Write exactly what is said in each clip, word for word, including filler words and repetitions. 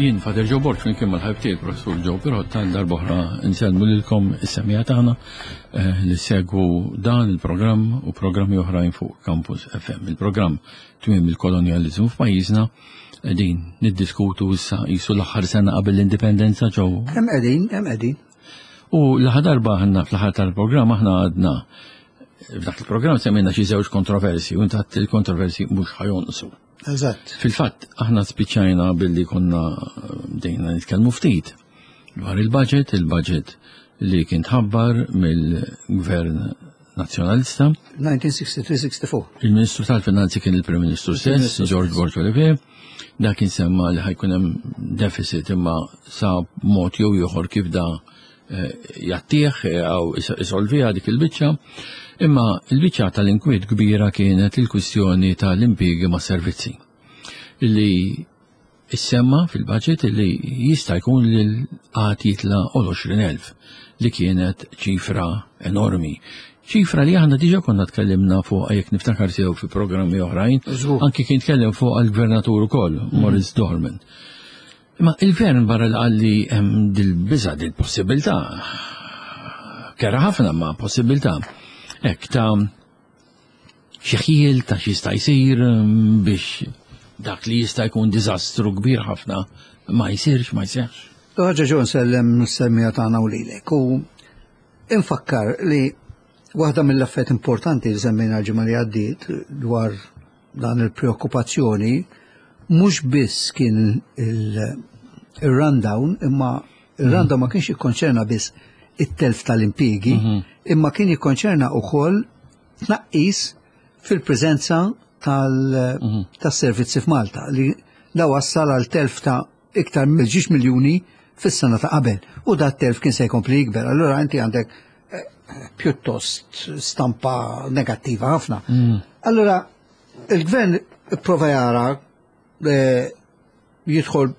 Jien Father Joe Borg flimkien mal-ħabib tiegħi Professur Joe Pirotta darb'oħra nsellmu lilkom is-semmiegħa tagħna eh, li segwu dan il-programm u programmi oħrajn fuq Campus F M. Il-programm Tmiem il-Kolonjaliżmu f'pajjiżna, qegħdin niddiskutu issa qisu l-aħħar sena qabel l-indipendenza, Joe. Hemm qegħdin, hemm qegħdin. U l-aħħar darba aħna fl-aħħar tal-programm aħna għadna f'dak il-programm semmejna xi żewġ kontroversi u intat il-kontroversi mhux ħa jonqsu. Eżatt. Fil-fatt, aħna spiċċajna billi konna bdejna nitkellmu ftit dwar il-budget, il-budget li kien tħabbar mill-Gvern Nazzjonalista. elf disa' mija u tlieta u sittin-sitta u sebgħin. Il-Ministru tal-Finanzi kien il-Prim Ministru stess, George Borg Olivier. Da kien semma li ħa jkun hemm deficit, imma sa mod jew ieħor kif da eh, jattieħ jew isolviha dik il-biċċa. Imma il-biċċa tal-inkwiet kbira kienet il-kwistjoni tal-impjiegi ma' servizzi. Illi issemma fil-budget li jista' jkun li l-qgħad jitla' għal għoxrin elf, li kienet ċifra enormi. Ċifra li aħna diġa konna tkellimna fuq, jekk niftakar sew, fi programmi oħrajn, Żgur. anki kien tkellem fuq għal-gvernatur ukoll, Maurice Dorman. Ma il-gvern barra li qalli hemm dil-biża, dil-possibilità, kera ħafna ma possibilità, hekk ta' xi ħjiel ta' xi jista' jsir mm, biex dak li jista' jkun diżastru kbir ħafna ma jsirx, ma jsirx. Ħaġa Joe, nsellem is-semmiegħa tagħna u lilek. U infakkar li waħda mill-affarijiet importanti li semmejna l-ġimgħa li għaddiet dwar dan il-preokkupazzjoni mhux biss kien il-rundown, imma il-rundown ma kienx jikkonċerna biss it-telf tal-impjiegi, imma kien jikkonċerna wkoll tnaqqis fil-preżenza tal-servizzi f'Malta li da wassal għal telf ta' iktar mill ġiex miljuni fis-sena ta' qabel. U da telf kien se jkompli jikber. Allura inti għandek eh, pjuttost stampa negattiva ħafna. Allura il-gvern prova jara eh, jidħol,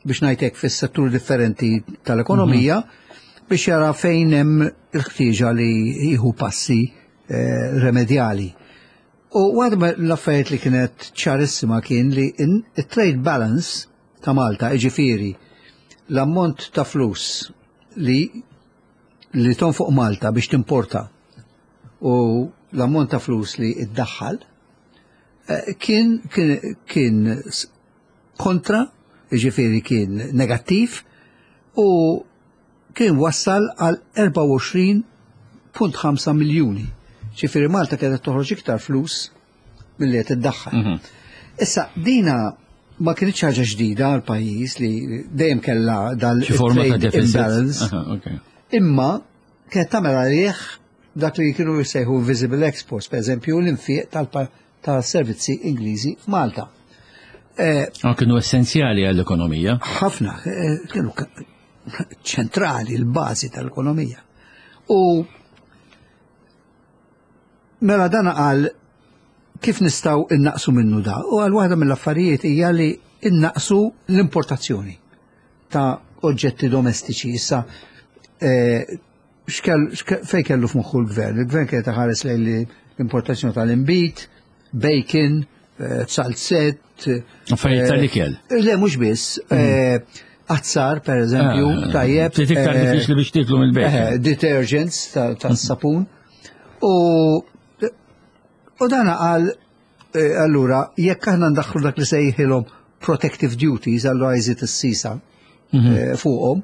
biex ngħidlek, fis-settur differenti tal-ekonomija biex jara fejn hemm il-ħtieġa li jieħu passi eh, remedjali. U waħda l-affarijiet li kienet ċarissima kien li il-trade balance ta' Malta, iġifieri l-ammont ta' flus li li tonfoq Malta biex timporta u l-ammont ta' flus li iddaħħal eh, kien, kien, kien kontra, iġifieri kien negattiv u kien wassal għal erbgħa u għoxrin punt ħamsa miljuni. Ġifieri Malta kienet toħroġ iktar flus milli qed iddaħħal. Mhm. Issa dina ma kienx ħaġa ġdida għal pajjiż li dejjem kellha dal forma ta' imbalance. Imma kienet tagħmel għalih dak li kienu jsejħu visible exports, per eżempju l-infiq tal-servizzi Ingliżi f'Malta. Eh, kienu essenzjali għall-ekonomija. Ħafna, eh, kienu ċentrali, l-bażi tal-ekonomija. U mela dan qal kif nistgħu innaqsu minnu da? U għal waħda mill-affarijiet hija li innaqsu l-importazzjoni ta' oġġetti domestiċi. Issa eh, fej kellu f'moħħu l-gvern? Il-gvern kien ħares lejn l-importazzjoni tal-inbid, bacon, eh, zalzett. Affarijiet tal-ikel. Le, mhux biss. Mm. Azzar, per eżempju, ah, tajjeb. Ftit iktar diffiċli biex tiklu mill-bacon. Detergents tas-sapun. U u dana qal allura jekk aħna ndaħħlu dak li sejħilhom protective duties, allura jżid is-sisa mhm. fuqhom,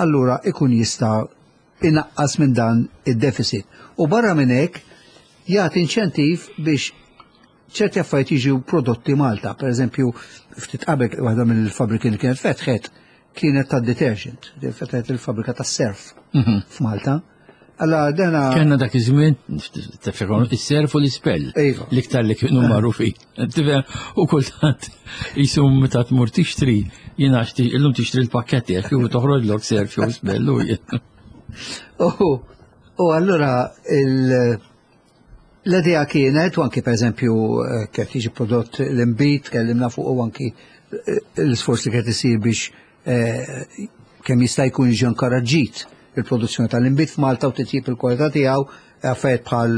allura ikun jista' inaqqas minn dan id-deficit. U barra minn hekk jagħti inċentiv biex ċerti affarijiet jiġu prodotti Malta. Per eżempju, ftit qabel waħda mill-fabriki li kienet fetħet kienet ta' detergent, fetħet il-fabrika ta' Surf mhm. f'Malta. Alla dana. Kenna dak iż-żmien, tiftakar, is-Surf u l-Ispell. Iva. L-iktar li kienu magħrufin. Tifhem, u kultant jisum meta tmur tixtri, jiena illum tixtri l-pakketti għax kieku toħroġlok Surf jew Spell u U allura l-idea kienet, u anki per eżempju eh, kif jiġi prodott l-inbid, tkellimna fuq u anki eh, l-isforz li kienet isir biex eh, kemm jista' jkun jiġi inkoraġġit il-produzzjoni tal-inbid f'Malta u titjib il-kwalità tiegħu, affarijiet bħal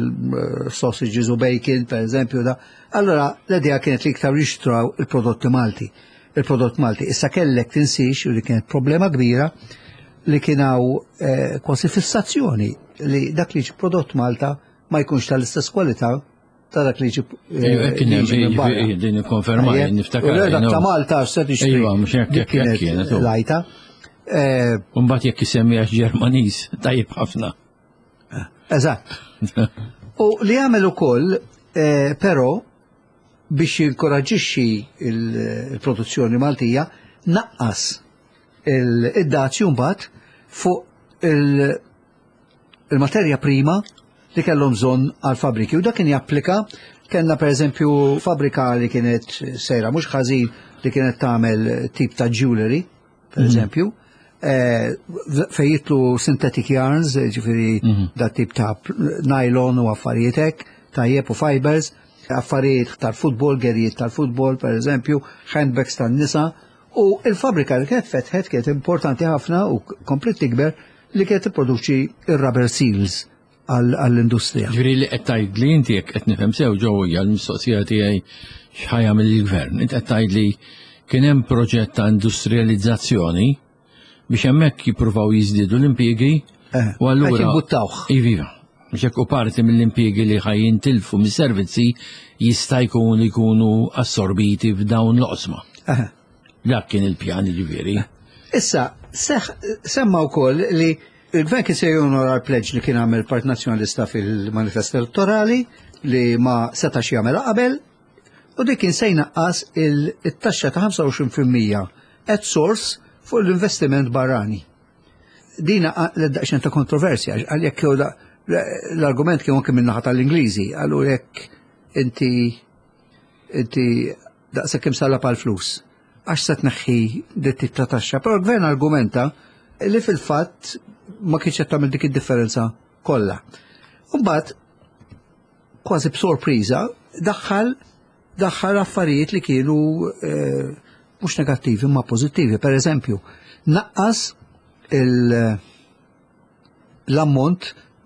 sausages u bacon, per eżempju, da. Allora, l-idea kienet li iktar jixtraw il-prodotti Malti. il-prodott Malti. Issa kellek tinsix, u li kienet problema kbira, li kien hawn eh, kważi fissazzjoni li dak li ġi prodott Malta ma jkunx tal-istess kwalità ta' dak li ġi eh, Kien hemm din ikkonferma niftakar. Dak ta' Malta se tixtri. Iva, mhux hekk hekk kienet. Lajta. Eh, Mbagħad jekk isemmi għax Ġermaniż, tajjeb ħafna. Eżatt. U li għamel ukoll, eh, però biex jinkoraġixxi il-produzzjoni Maltija, naqqas il-dazju mbagħad fuq il-materja prima li kellhom bżonn għal fabriki. U dak kien japplika, kellna per eżempju fabrika li kienet sejra mhux ħażin li kienet tagħmel tip ta' jewelry, per mhm. eżempju, eh, fejn jidħlu synthetic yarns, ġifieri mhm. da tip ta' nylon u affarijiet hekk, tajjeb u fibers, affarijiet tal-futbol, gerijiet tal-futbol, per eżempju, handbags tan-nisa, u il-fabrika li kienet fetħet kienet importanti ħafna u komplet tikber li kienet tipproduċi il-rubber seals għall-industrija. Ġifieri li qed tgħid li inti jekk qed nifhem sew ġew hija l-mistoqsija tiegħi x'ħa jagħmel il-gvern. Inti qed tgħid li kien hemm proġett ta' industrializzazzjoni biex hemmhekk jippruvaw jiżdiedu l-impjiegi eh, u allura jimbuttawh. Iva. Biex hekk u parti mill-impjiegi li ħa jintilfu mis-servizzi jista' jkun jkunu assorbiti f'dawn l-oqsma. Eh. Dak kien il-pjan ġifieri. Issa, semma wkoll li il-gvern kien se jonora l-pledge li kien għamel Partit Nazzjonalista fil-manifest elettorali li ma setax jagħmel qabel u dik kien se jnaqqas il-taxxa ta' ħamsa u għoxrin fil-mija at source fuq l-investiment barrani. Dina l-daqxen ta' kontroversja, għal jekk l-argument kien anke min-naħa tal-Ingliżi, għallu jekk inti inti daqshekk imsallab għal flus għax se tneħħi dit ta' taxxa. Però l-gvern argumenta li fil-fatt ma kienx qed tagħmel dik id-differenza kollha. Mbagħad kważi b'sorpriża daħħal daħħal affarijiet li kienu eh, mhux negattivi ma pożittivi. Per eżempju, naqqas l-ammont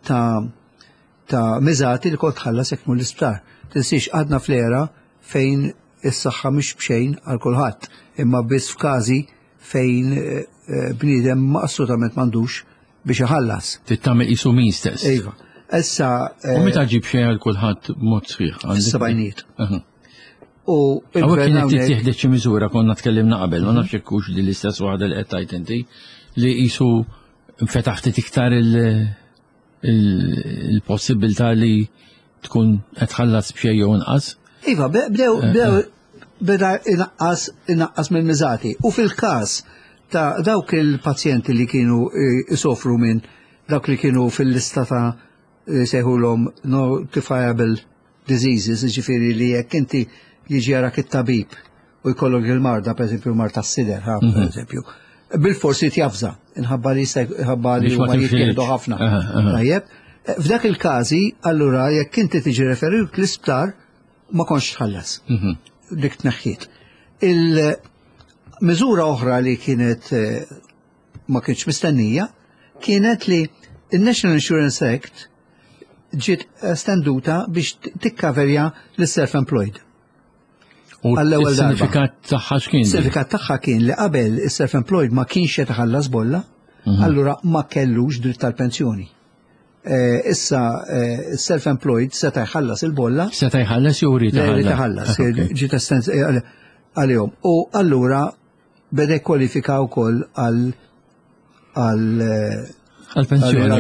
ta' ta' miżati li kont tħallas jekk l-isptar. Tinsiex għadna fl-era fejn is-saħħa mhix b'xejn għal kulħadd, imma biss f'każi fejn eh, eh, bniedem ma assolutament m'għandux biex iħallas. Tittamel qisu means test. Iva. Issa. U meta ġib xejn għal kulħadd b'mod sħiħ? Fis-sebgħinijiet. U Hawnhekk kienet tittieħdet xi miżura konna tkellimna qabel, ma nafx hekk hux din l-istess waħda li qed tgħid inti li qisu nfetaħ ftit iktar il-possibilità li tkun qed tħallas b'xejn jew inqas. Iva, bdew bdew beda inaqqas inaqqas mill-miżati. U fil-każ ta' dawk il-pazjenti li kienu isofru minn dawk li kienu fil-lista ta' sejħulhom notifiable diseases, ġifieri li jekk inti jiġi jarak it-tabib u jkollok il-marda, per eżempju, marda s-sider, ha, per mhm. eżempju, bil-forsi tjavża, inħabba li jista' li huma jittieħdu ħafna. Tajjeb, f'dak il-każi, allura jekk inti tiġi referut l-isptar, ma kontx tħallas. Mhm. Dik tneħħiet. Il-miżura oħra li kienet eh, ma kienx mistennija kienet li il-National Insurance Act ġiet estenduta biex tikkaverja l-self-employed. U il-sinifikat tagħha x'kien? Sinifikat tagħha kien li qabel is-self-employed ma kienx qed iħallas bolla, mhm. allura ma kellux dritt tal-pensjoni. Eh, issa eh, self-employed seta' jħallas il-bolla. Seta' jħallas jew irid iħallas? Ġiet eh, għalihom. U allura beda kwalifika wkoll għal għal għal-pensjoni,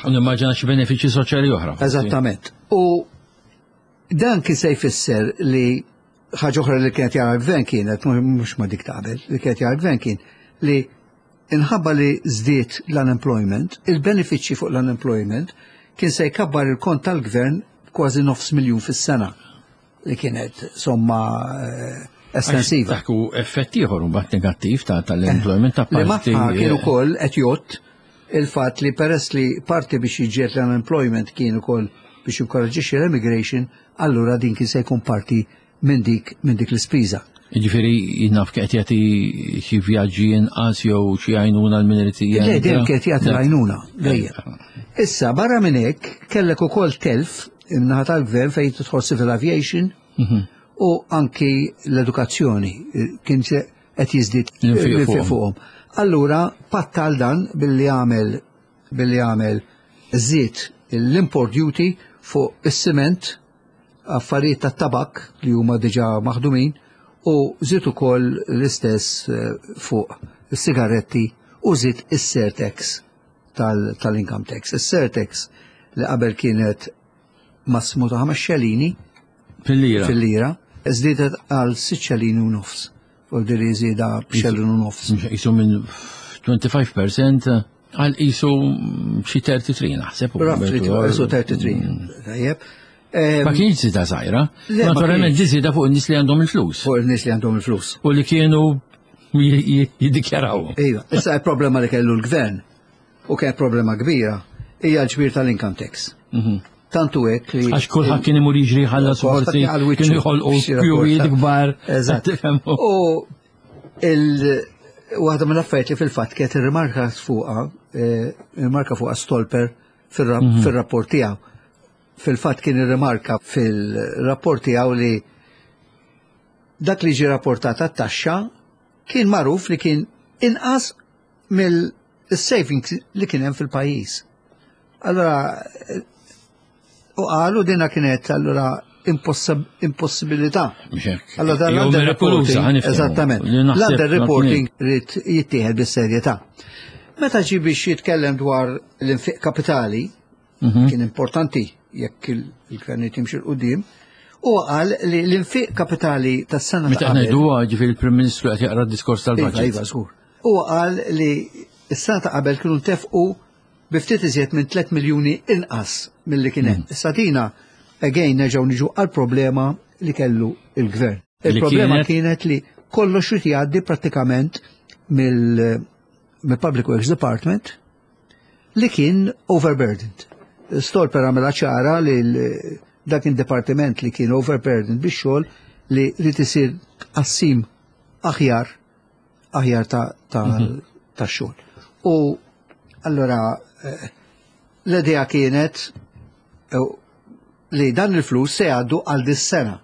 u nimmaġina xi benefiċċji soċjali oħra. Eżattament. U dan kien se jfisser li ħaġa oħra li kienet jara l-gvern kienet, mhux ma dik qabel, li kienet jara l-gvern kien li inħabba li żdied l-unemployment, il-benefiċċji fuq l-unemployment kien se jkabbar il-kont tal-gvern kważi nofs miljun fis-sena li kienet somma eh, estensiva. Dak hu effett ieħor mbagħad negattiv ta' tal-employment ta' Li parti. magħha kien ukoll qed jgħodd il-fatt li peress li parti biex jiġġieled l-unemployment kien ukoll biex jinkoraġġixxi l-immigration, allura din kien se jkun parti minn dik minn dik l-ispiża. Jiġifieri jinnaf qed jagħti xi vjaġġi inqas jew xi għajnuna l-minoriti. Le, dejjem kien jagħti l-għajnuna, dejjem. Issa, barra minn hekk, kellek ukoll telf in-naħa tal-gvern fejn tidħol civil aviation Mhm. u anki l-edukazzjoni. Kien se qed jiżdied l-infiq fuqhom. Allura pattal dan billi għamel billi għamel żied l-import duty fuq is-siment, affarijiet tat-tabak li huma diġà maħdumin, u żied ukoll l-istess fuq is-sigaretti u żied is-surtax tal-income tax. Is-surtax li qabel kienet massimu ta' ħames xelini fil-lira, fil-lira, żdiedet għal sitt xelini u nofs. U diri żieda b'xelin u nofs. Qisu minn twenty-five percent għal qisu xi thirty-three naħseb. Roughly qisu thirty-three. Tajjeb. Ma kienx żieda żgħira. Naturalment di żieda fuq in-nies li għandhom il-flus. Fuq in-nies li għandhom il-flus. U li kienu jiddikjaraw. Iva, issa il-problema li kellu l-gvern u kien problema kbira hija l-ġbir tal-income tax. Tantu hekk li Għax kulħadd kien imur jiġri ħallas, forsi kienu jħolqu kjuwijiet kbar. Eżatt. U il waħda mill-affarijiet li fil-fatt kienet irrimarka fuqha, irrimarka fuqha Stolper fir-rapport tiegħu. Fil-fatt kien irrimarka fil-rapport tiegħu li dak li ġi rapportat għat-taxxa kien magħruf li kien inqas mill-savings li kien hemm fil-pajjiż. Allora, u qalu dina kienet allura impossibilità. Allora dan l-underreporting, eżattament, l-underreporting rrid jittieħed bis-serjetà. Meta ġi biex jitkellem dwar l-infiq kapitali, mhm. kien importanti jekk il-gvern jimxi 'l quddiem, u qal li l-infiq kapitali tas-sena Meta ngħidu, ġifieri il-Prim Ministru qed jaqra d-diskors tal-budget. Iva, iva, żgur. U qal li s-sena ta' qabel kienu ntefqu bi ftit iżjed minn tliet miljuni inqas milli kien hemm. Mm. Issa dina again nerġgħu niġu għal problema li kellu il-gvern. Il-problema kienet li kollox irid jgħaddi prattikament mill-Public Works Department li kien overburdened. Stolper għamela ċara li dak il-departiment li kien overburdened biex xogħol li rrid isir tqassim aħjar aħjar ta' ta' mhm. ta' xogħol. U allora eh, l-idea kienet eh, li dan il-flus se jgħaddu għal dis-sena.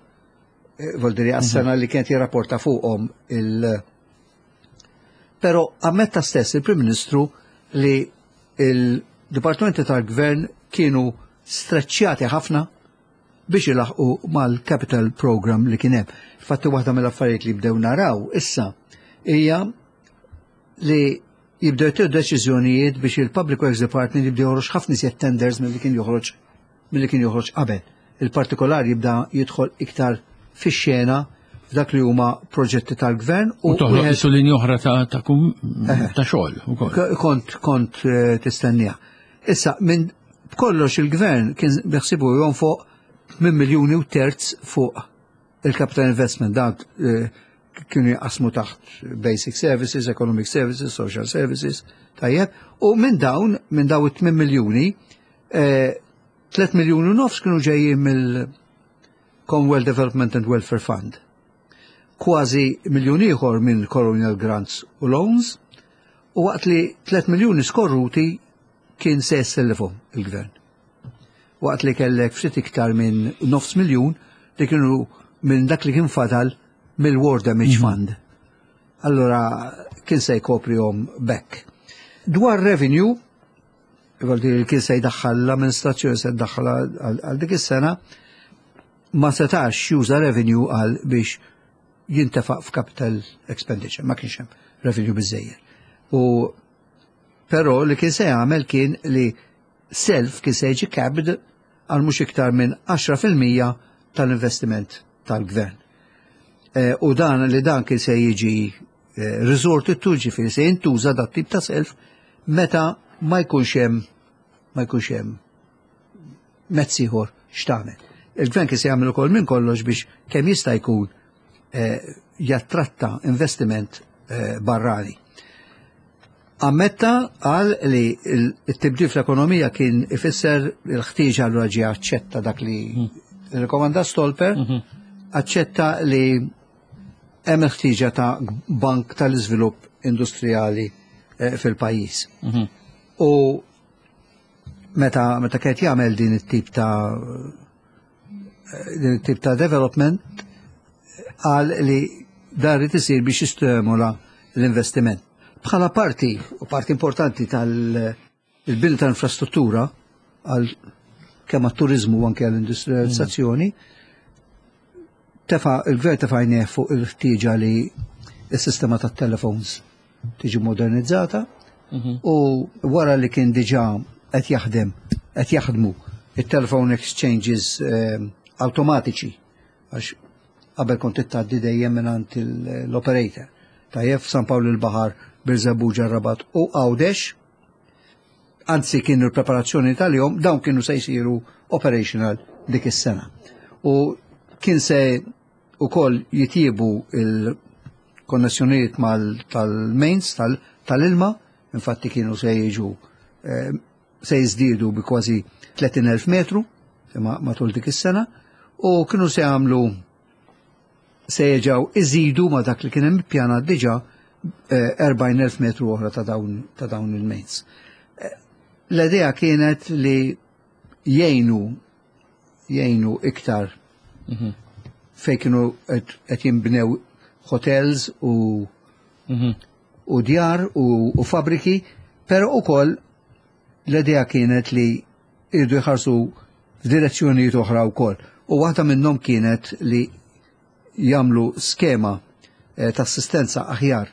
Eh, Vuol dire għas-sena li kienet jirrapporta fuqhom il- Però ammetta stess il-Prim Ministru li il-Dipartimenti tal-Gvern kienu streċjati ħafna biex ilaħqu mal-capital program li kien hemm. Infatti waħda mill-affarijiet li bdew naraw issa hija li jibdew jittieħdu deċiżjonijiet biex il-Public Works Department jibdew joħroġ ħafna iżjed tenders milli kien joħroġ milli kien joħroġ qabel. Il-partikolari jibda jidħol iktar fix-xena f'dak li huma proġetti tal-gvern. U toħloq qisu linja oħra ta' ta' kum ta' xogħol ukoll. Kont kont eh, tistennija. Issa minn b'kollox il-gvern kien beħsibu jonfoq minn miljuni u terz fuq il-capital investment, dan eh, kienu jaqsmu taħt basic services, economic services, social services, tajjeb, u minn dawn, minn dawn it-tmien miljuni, eh, tliet miljuni u nofs kienu ġejjin mill-Commonwealth Development and Welfare Fund. Kważi miljun ieħor minn Colonial Grants u Loans, u waqt li tliet miljuni skorruti kien se jessellifhom il-gvern. Waqt li kellek ftit iktar minn nofs miljun li kienu minn dak li kien fadal mill-War Damage mhm. Fund. Allora kien se jkoprihom bekk. Dwar revenue, li kien se jdaħħal l-amministrazzjoni, se jdaħħal għal dik is-sena, ma setax juża revenue għal biex jintefaq f'capital expenditure, ma kienx hemm revenue biżejjed. U però li kien se jagħmel kien li self kien se jiġi capped għal mhux iktar minn għaxra fil-mija tal-investiment tal-gvern. E, u dan li dan kien se jiġi e, resorted to, ġifieri se jintuża dat tip ta' self meta ma jkunx hemm ma jkunx hemm mezz ieħor x'tagħmel. Il-gvern kien se jagħmel ukoll minn kollox biex kemm jista' jkun eh, jattratta investiment eh, barrani. Ammetta għal li il-tibdil fl-ekonomija kien ifisser il-ħtieġa, l ġi aċċetta dak li rekomanda Stolper, aċċetta li hemm il-ħtieġa ta' bank tal-iżvilupp industrijali eh, fil-pajjiż. U meta meta kien jagħmel din it-tip ta' din it-tip ta' development, qal li Dar irid isir biex jistimula l-investiment. Bħala parti, u parti importanti tal-bini tal-infrastruttura, għal kemm għat-turizmu u anke għall-industrializzazzjoni, tefa' il-gvern tefa' għajnejh fuq il-ħtieġa li s-sistema tat-telefons tiġi modernizzata u wara li kien diġà qed jaħdem qed jaħdmu it-telephone exchanges eh, automatiċi, għax qabel kont tgħaddi dejjem mingħand l-operator. Tajjeb, San Pawl il-Baħar, Birżebbuġa, Rabat u Għawdex, anzi kienu l-preparazzjoni tal-jom, dawn kienu se jsiru operational dik is-sena. U kien se ukoll jitjibu il-konnessjonijiet mal tal-mains tal-ilma, infatti kienu se jiġu eh, se jiżdiedu bi kważi tletin elf metru imma matul dik is-sena u kienu se jagħmlu se jerġgħu iżidu ma dak li kien hemm ippjanat diġà eh, erbgħin elf metru oħra ta' dawn ta' dawn il-mains. Eh, L-idea kienet li jgħinu jgħinu iktar fej kienu qed qed jinbnew hotels u u djar u, u fabriki, pero ukoll l-idea kienet li irdu jħarsu f'direzzjonijiet oħra wkoll. U waħda minnhom kienet li jagħmlu skema eh, ta' assistenza aħjar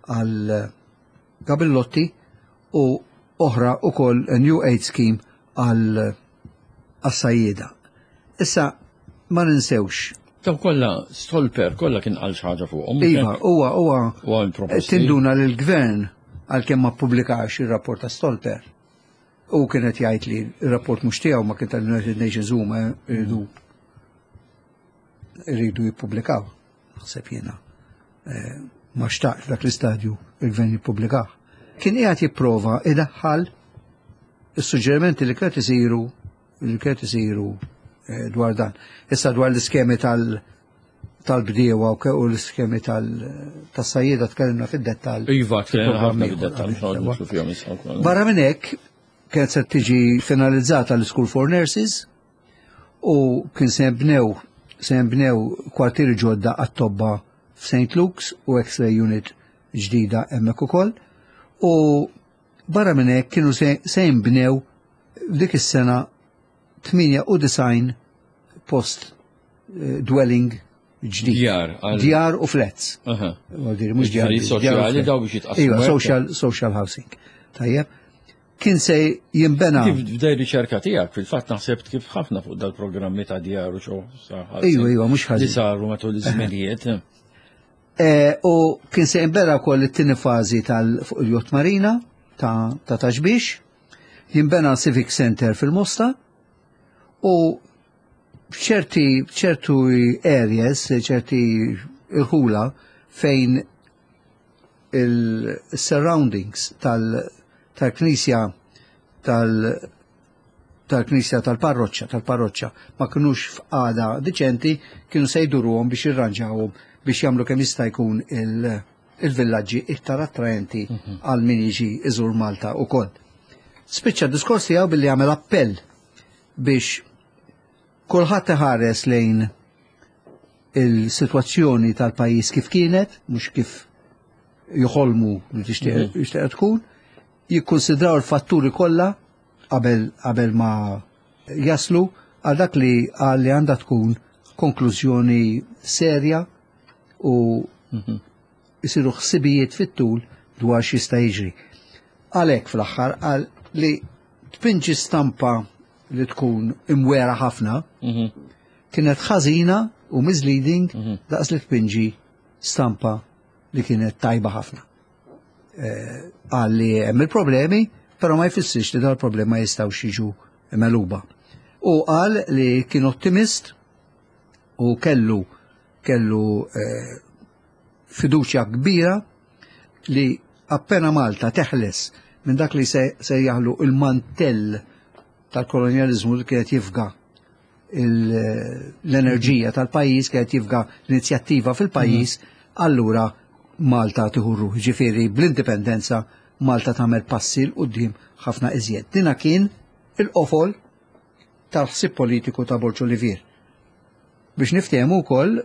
għal gabillotti u oħra ukoll a new aid scheme għal għas-sajjieda. Issa ma ninsewx. Daw kollha Stolper kollha kien qal xi ħaġa fuqhom. Iva, huwa huwa Huwa l-proposti. Tinduna li l-gvern, għalkemm ma ppubblikax ir-rapport ta' Stolper, u kienet jgħid li r-rapport mhux tiegħu ma kien tal-United Nations, huma jridu jridu jippubblikaw. Naħseb jiena eh, ma xtaqx dak l-istadju il-gvern jippubblikaw. Kien qiegħed jipprova idaħħal is-suġġerimenti li kienet isiru li kienet isiru eh, dwar dan. Issa dwar l-iskemi tal- tal-bdiewa u ke- u l-iskemi tal-sajjieda tkellimna fid-dettall. Iva, tkellimna ħafna fil-programm fid-dettall, ieħor, mhux noqgħod nidħlu fihom issa wkoll. Barra minn hekk, kienet se tiġi finalizzata l-School for Nurses u kien se jibnew se jibnew kwartieri ġodda għat-tobba f'Saint Luke's u X-ray unit ġdida hemmhekk ukoll. U barra minn hekk kienu se se jinbnew f'dik is-sena tmienja u disgħin post eh, dwelling ġdid. Djar għal- Djar u flats. Aha. Vuol dire, mhux djar Djarijiet biss, djar u soċjali flats. daw biex jitqassmu Iva, hekk. social, social housing. Tajjeb. Kien se jinbena. Kif f'dej riċerka tiegħek, fil-fatt naħseb kif ħafna fuq dal-programmi ta' djar u xo. Iva, iva, mhux Li ħażin. saru matul iż-żminijiet. Eh, U kien se jinbena wkoll it-tieni fażi tal fuq il-Yacht Marina ta' ta' Ta' Xbiex, jinbena Civic Center fil-Mosta u ċerti ċertu areas, ċerti irħula fejn il-surroundings tal- tal-knisja tal tal-knisja tal-parroċċa tal-parroċċa ma kinux f'qagħda diċenti, kienu se jduruhom biex jirranġawhom biex jagħmlu kemm jista' jkun il- il-villaġġi iktar attraenti għal min jiġi iżur Malta ukoll. Spiċċa d-diskors tiegħu billi jagħmel appell biex kulħadd iħares lejn il-sitwazzjoni tal-pajjiż kif kienet, mhux kif joħolmu li tixtieq jixtieq tkun, jikkonsidraw il-fatturi kollha qabel qabel ma jaslu għal dak li għal li għandha tkun konklużjoni serja u jisiru ħsibijiet fit-tul dwar x'jista' jiġri. Għalhekk fl-aħħar qal li tpinġi stampa li tkun imwera ħafna kienet ħażina u misleading daqs li tpinġi stampa li kienet tajba ħafna. Eh, Qal li hemm il-problemi, però ma jfissirx li dal-problema jistgħux jiġu megħluba. U qal li kien ottimist u kellu kellu eh, fiduċja kbira li appena Malta teħles minn dak li se, se jaħlu il-mantell tal-kolonializmu li kienet jifga il- l-enerġija tal-pajjiż, kienet jifga l-inizjattiva fil-pajjiż, allura Malta tieħu ruħ. Ġifieri bl-indipendenza Malta tagħmel passi 'l quddiem ħafna iżjed. Dina kien il-qofol tal-ħsieb politiku ta' Borg Olivier. Biex niftehmu wkoll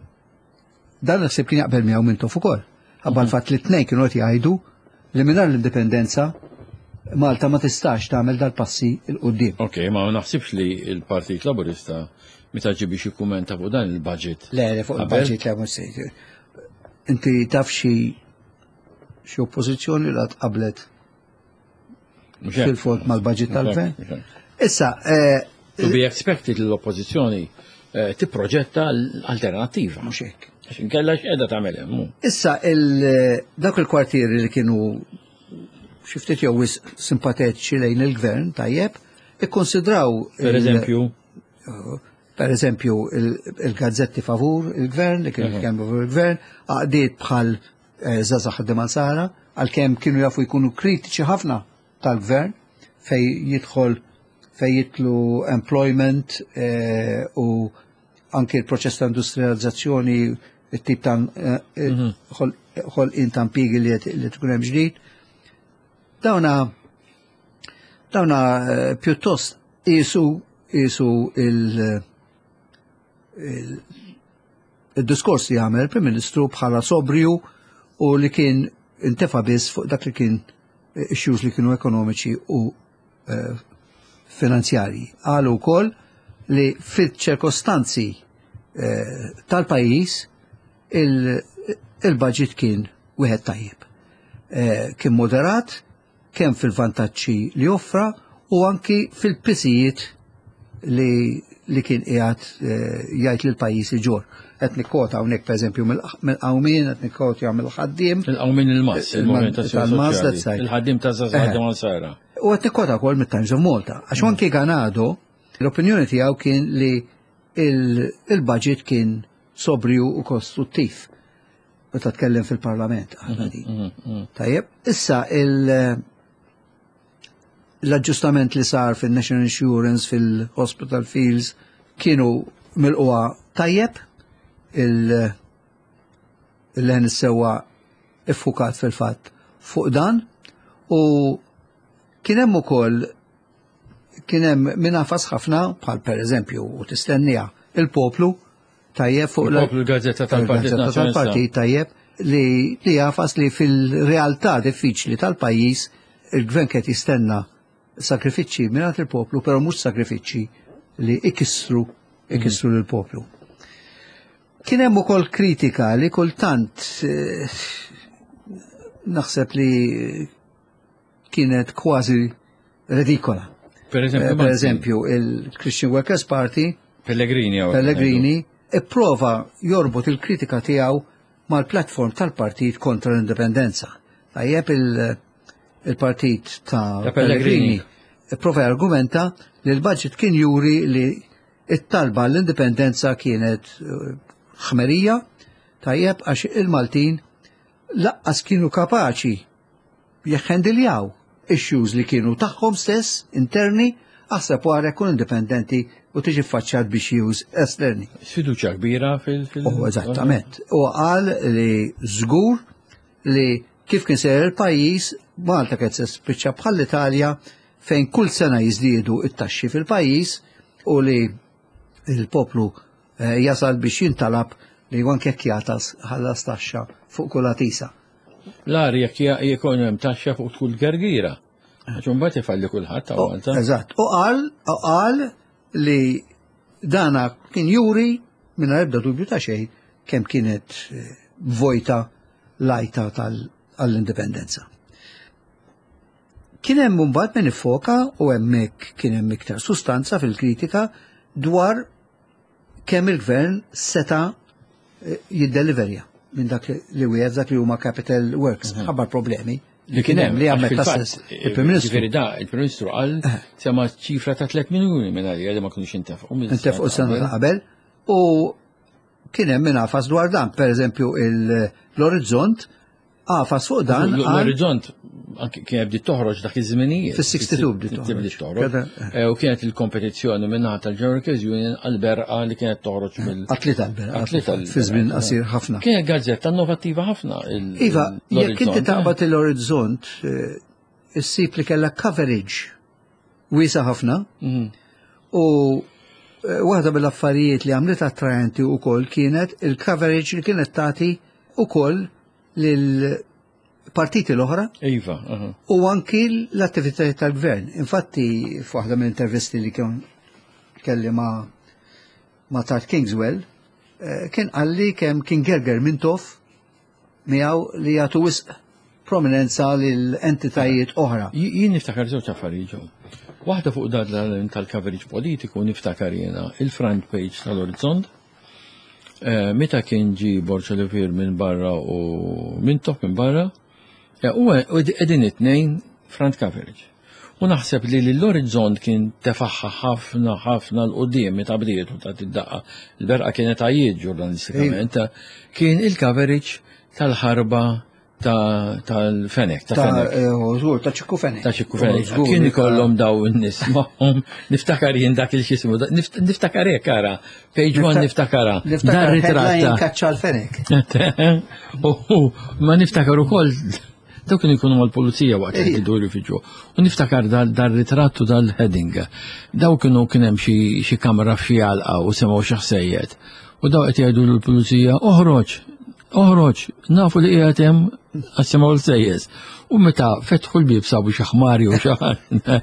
Dan naħseb kien jaqbel miegħu Mintoff ukoll. Ħabba l-fatt li t-tnejn kienu qed jgħidu li mingħajr l-indipendenza Malta ma tistax tagħmel dal-passi 'l quddiem. Ok, ma naħsibx li il-Partit Laburista meta ġie biex jikkumenta fuq dan il-budget. Le, le, fuq Qabel? Il-budget le, mhux se. Inti taf xi xi oppożizzjoni li qablet Mhux hekk? fil-fond mal-budget tal-gvern? Mhux hekk. Issa, eh, To be expected li l-oppożizzjoni eh, tipproġetta l-alternativa. Mhux hekk. Għax inkella x'qiegħda tagħmel hemm, hu. Issa, il- dak il-kwartieri li kienu xi ftit jew wisq simpatetiċi lejn il-gvern, tajjeb, ikkonsidraw Per il- eżempju, per eżempju, il- il-gazzetti favur il-gvern, li kienu jitkellmu favur il-gvern, għaqdiet bħal eh, Żgħażagħ Ħaddiema Nsara, għalkemm kienu jafu jkunu kritiċi ħafna tal-gvern, fej jidħol fej jidħlu employment eh, u anke il-proċess ta' industrializzazzjoni, it-tip ta' eh, ħolqien ta' impjiegi li qed- li tkun hemm ġdid. Dawna dawna eh, pjuttost qisu qisu il- il- il-diskors li għamel il-Prim Ministru bħala sobrju u li kien intefa biss fuq dak li kien issues li kienu ekonomiċi u eh, finanzjarji. Qalu wkoll li fil-ċirkostanzi eh, tal-pajjiż il- il-budget kien wieħed tajjeb. Eh, Kien moderat, kemm fil-vantaġġi li offra u anki fil-pisijiet li, li kien qiegħed eh, jgħid lil pajjiż iġorr. Qed nikkota hawnhekk, pereżempju, mill-Qawmien, qed nikkota mill-Ħaddiem. Il-Qawmien, il-M A S, il-Moviment Il-M A S, Soċjali. That's right. Il-Ħaddiem ta' Żgħażagħ Ħaddiema Nsara. U qed nikkota wkoll mit-Times of Malta. Għax anki Ganado, l-opinjoni tiegħu kien li il- il-budget kien sobrju u kostruttiv. Meta tkellem fil-Parlament aħna din. Tajjeb, issa il- l-aġġustament li sar fil-National Insurance, fil-Hospital Fees, kienu milqugħa tajjeb, il- il-Leħen is-Sewwa iffukat fil-fatt fuq dan u kien hemm ukoll kien hemm min għafas ħafna, bħal per eżempju, u tistennija, Il-Poplu, tajjeb, fuq la- Il-Poplu, l-gazzetta tal-Partit il-gazzetta Nazzjonalista. Tal-partit, tajjeb, li li għafas li fil-realtà diffiċli tal-pajjiż il-gvern qed jistenna sakrifiċċji mingħand il-poplu, però mhux sakrifiċċji li ikissru ikissru lill-poplu. Kien hemm ukoll kritika li kultant eh, naħseb li kienet kważi redikola. Per eżempju, Eh, Per eżempju, il-Christian Workers Party Pellegrini. Hawn. Pellegrini ipprova jorbot il-kritika tiegħu mal-platform tal-partit kontra l-indipendenza. Tajjeb, il- il-partit ta' Ta' Pellegrini. Pellegrini ipprova argumenta li l-budget kien juri li it-talba l-indipendenza kienet eh, ħmerija, tajjeb, għax il-Maltin lanqas kienu kapaċi jeħendiljaw issues li kienu tagħhom stess interni, aħseb wara jkun indipendenti u tiġi faċċat biex issues esterni. Sfiduċja kbira fil- fil- U eżattament. U qal li żgur li kif kien sejjer il-pajjiż, Malta kienet se spiċċa bħall-Italja, fejn kull sena jiżdiedu it-taxxi fil-pajjiż u li il-poplu eh, jasal biex jintalab li anke jekk jagħtas ħallas taxxa fuq kull għatisa. L-agħar jekk jkun hemm taxxa fuq kull gergira. Għax imbagħad ifalli kulħadd ta' Malta. Eżatt. U qal u qal li dana kien juri minn ebda dubju ta' xejn kemm kienet eh, vojta l-għajta tal-indipendenza. Kien hemm mbagħad min iffoka, u hemmhekk kien hemm iktar sustanza fil-kritika, dwar kemm il-gvern seta eh, jiddeliverja minn dak li wieħed, dak li huma capital works, ħabba problemi Li kien hemm li għax għammet fil-fatt, stess il-Prim Ministru. Ġifieri da, il-Prim Ministru qal sema ċifra ta' tliet miljuni minn għalija li ma kinux intefqu. Intefqu sena ta' qabel u kien hemm min għafas dwar dan, per eżempju l-Orizzont għafas fuq dan għal L-Orizzont anke kien bdiet toħroġ dak iż-żminijiet. Fis-sixty-two bdiet toħroġ. Bdiet toħroġ. Keda- Eh, U kienet il-kompetizzjoni minnaħa tal-General Workers Union għal-Berqa li kienet toħroġ mill. Għat-tlieta l-Berqa. Għat-tlieta l-Berqa. Fi żmien qasir ħafna. Kienet gazzetta innovattiva ħafna. il- Iva, jekk inti l-Orizzont, taqbad l-Orizzont, eh, issib li kellha coverage wiesa ħafna eh. Mhm. u Eh, waħda mill-affarijiet li għamlet attraenti wkoll kienet il-coverage li kienet tagħti ukoll lil partiti l-oħra Iva, aha. u anki l-attivitajiet tal-gvern. Infatti, f'waħda mill-intervisti li kien kelli ma' ma' Tart Kingswell, eh, kien qalli kemm kien gerger Mintoff miegħu li jagħtu wisq prominenza lil entitajiet oħra. Jien niftakar żewġ affarijiet ġew. Waħda fuq dan tal-coverage politiku, niftakar jiena il-front page tal-Orizzont. Eh, Meta kien ġi Borg Olivier minn barra u Mintoff minn barra, eh, u qegħdin it-tnejn front coverage. U naħseb li l-Orizzont kien tefaħħa ħafna ħafna 'l quddiem meta bdiet u ta' id-daqqa. Il-berqa kienet għajiet ġurnalistikament. Kien il-coverage tal-ħarba ta' tal-Fenek, ta' Ta' Fenek. eh, żgur, ta' Ċikku Fenek. Ta' Ċikku Fenek. Żgur, Kien ta' ikollhom daw in-nies magħhom. Niftakar jien dak il-xismu, nift- niftakar hekk ara, page one niftakara. Niftakar Dar headline ritratta. "Kaċċa l-Fenek". U ma niftakar ukoll dawk kienu jkunu mal-pulizija waqt li Ejja. jiduru fiġu. U niftakar dal dar ritrattu dal-heading. Daw kienu kien hemm xi xi kamra f'xi għalqa u semgħu xi ħsejjed. U daw qed jgħidu lill-pulizija: "Oħroġ, oħroġ, nafu li qiegħed hemm għax semgħu l-sejjes." U meta fetħu l-bib sabu xi ħmari u xi ħaġa.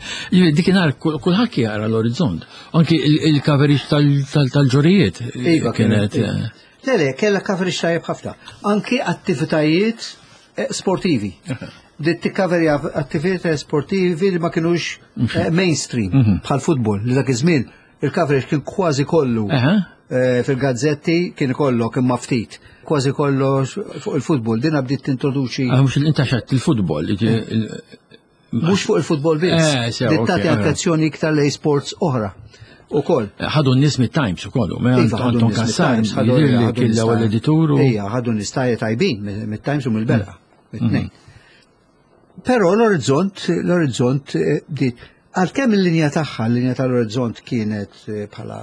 Dikinhar kulħadd jara l-Orizzont. Anki il-coverage tal-ġorijiet Iva, kienet. kienet. Le, le, kella coverage tajjeb ħafna. Anki attivitajiet eh, sportivi. Bdiet tikkaverja attivitajiet sportivi li ma kienux eh, mainstream, bħal futbol, li dak iż-żmien il-coverage kien kważi kollu Aha. eh, fil-gazzetti kien ikollok imma ftit. Kważi kollox fuq il-futbol. Dina bdiet tintroduċi Ah, mhux intaxat il-futbol. il- mhux fuq il-futbol biss. Eh, sew, Bdiet ok, tagħti eh. attenzjoni iktar lej sports oħra. Ukoll. Ħadu n-nies mit-Times ukoll, me Iva, ħadu Anton nies Kassar, mit-Times, ħadu- jidhir li ħadu kien nies l-ewwel tajbin. editur u Ejja, ħadu nies tajbin mit-Times u mill-Berqa, mit-tnejn. Però l-Orizzont, l-Orizzont eh, bdiet, għalkemm il-linja tagħha, l-linja tal-Orizzont kienet eh, bħala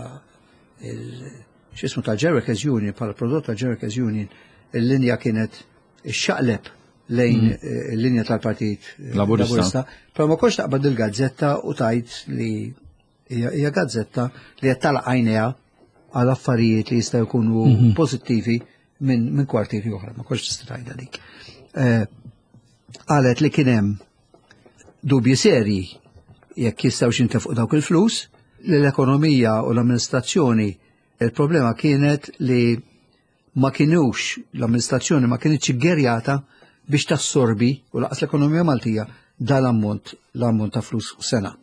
il- x'ismu tal-Workers Union, bħala prodott tal-Workers Union, il-linja kienet xaqleb lejn eh, il-linja tal-Partit eh, Laburista. Però ma kontx taqbad il-gazzetta u tajt li hija hija gazzetta li qed tagħlaq għajnejha għal affarijiet li jistgħu jkunu pożittivi minn min kwartieri oħra, ma kontx tista' tgħidha dik. Eh, Qalet li kien hemm dubji serji jekk jistgħu jintefqu dawk il-flus, li l-ekonomija u l-amministrazzjoni, il-problema kienet li ma kienux, l-amministrazzjoni ma kienitx ggerjata biex tassorbi u lanqas l-ekonomija Maltija dal-ammont l-ammont ta' flus sena.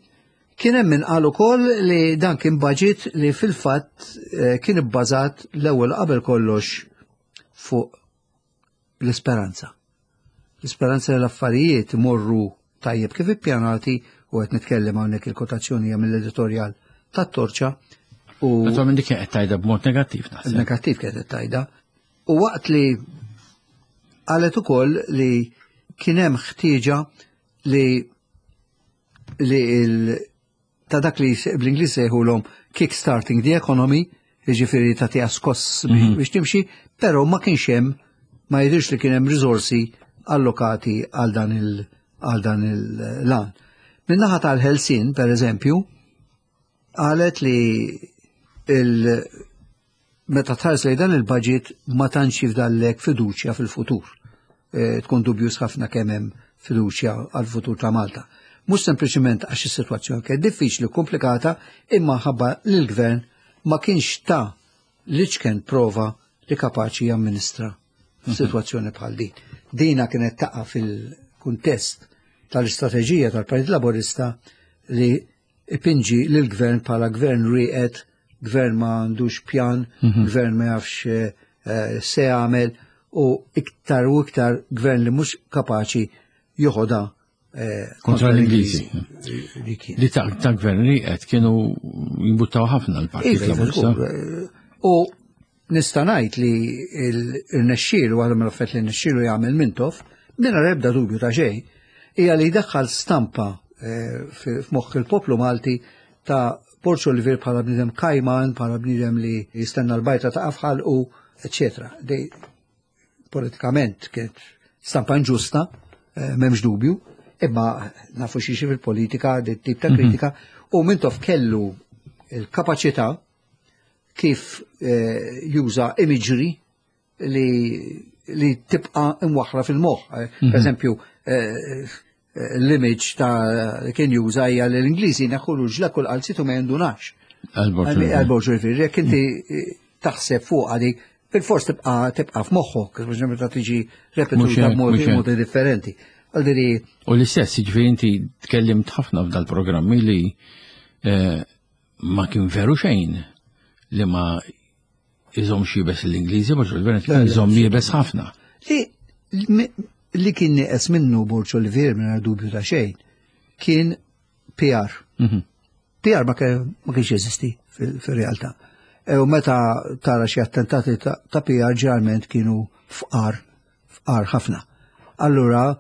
Kien hemm min qal ukoll li dan kien budget li fil-fatt eh, kien ibbażat l-ewwel qabel kollox fuq l-isperanza. L-isperanza li l-affarijiet imorru tajjeb kif ippjanati, u qed nitkellem hawnhekk, il-kotazzjoni hija mill-editorjal tat-Torċa u Naturalment dik kienet tajda b'mod negattiv naħseb. Negattiv kienet tajda. U waqt li qalet ukoll li kien hemm ħtieġa li li il ta' dak li bl-Ingliż sejħulhom kick-starting the economy, jiġifieri tagħtiha skoss biex biex timxi, però ma kienx hemm, ma jidhirx li kien hemm riżorsi allokati għal dan il għal dan il-lan. Min-naħa tal-Ħelsien, per eżempju, qalet li il meta tħares lejn dan il-budget ma tantx jifdallek fiduċja fil-futur. E, tkun dubjus ħafna kemm hemm fiduċja għal-futur ta' Malta. Mhux sempliċement għax is-sitwazzjoni kienet diffiċli u komplikata, imma ħabba li l-gvern ma kienx ta' l-iċken prova li kapaċi jamministra f'sitwazzjoni bħal din. Dina kienet taqa' fil-kuntest tal-istrateġija tal-Partit Laburista li ipinġi l-gvern bħala gvern rieqed, gvern ma għandux pjan, gvern ma jafx eh, se jagħmel u iktar u iktar gvern li mhux kapaċi joħodha eh, kontra l-Ingliżi. Li kien. Li ta' ta' gvern rieqed kienu jimbuttaw ħafna l-Partit Iva, iva, Laburista. żgur. Eh, U nista' ngħid li il-nexxielu, għal mill-affett li nexxielu jagħmel Mintoff, mingħajr ebda dubju ta' xejn, hija li jdaħħal stampa eh, fi- f'moħħ il-poplu Malti ta' Borg Olivier bħala bniedem kajman, bħala bniedem li jistenna l-bajta ta' afħal u eccetera. Dej politikament kienet stampa inġusta, eh, m'hemmx dubju, imma nafu xiex fil-politika, dit tip ta' kritika, u Mintoff kellu il-kapaċità kif eh, juża imagery li li tibqa imwaħra fil-moħħ. Per eżempju, eh, l-image ta' li kien juża hija li l-Ingliżi neħħulu ġlekk u l-qalziet u ma jindunax. Għal Borg Olivier, jekk inti eh, taħseb fuq għadi, bil-fors tibqa tibqa f'moħħok, biex meta tiġi Mhux repetuta hekk, b'modi mhux hekk. modi differenti. Għaldiri, U l-istess, ġifieri inti tkellimt ħafna f'dal-programmi li eh, ma kien veru xejn li ma iżomm iebes l-Ingliżi, Borg Olivier kien iżomm iebes ħafna. li li kien nieqes minnu Borg Olivier minn dubju ta' xejn, kien P R. Mhm. P R ma kien- ma kienx jeżisti fil- fil-realtà. E u meta tara xi attentati ta' ta' P R ġeneralment kienu fqar, fqar ħafna. Allura,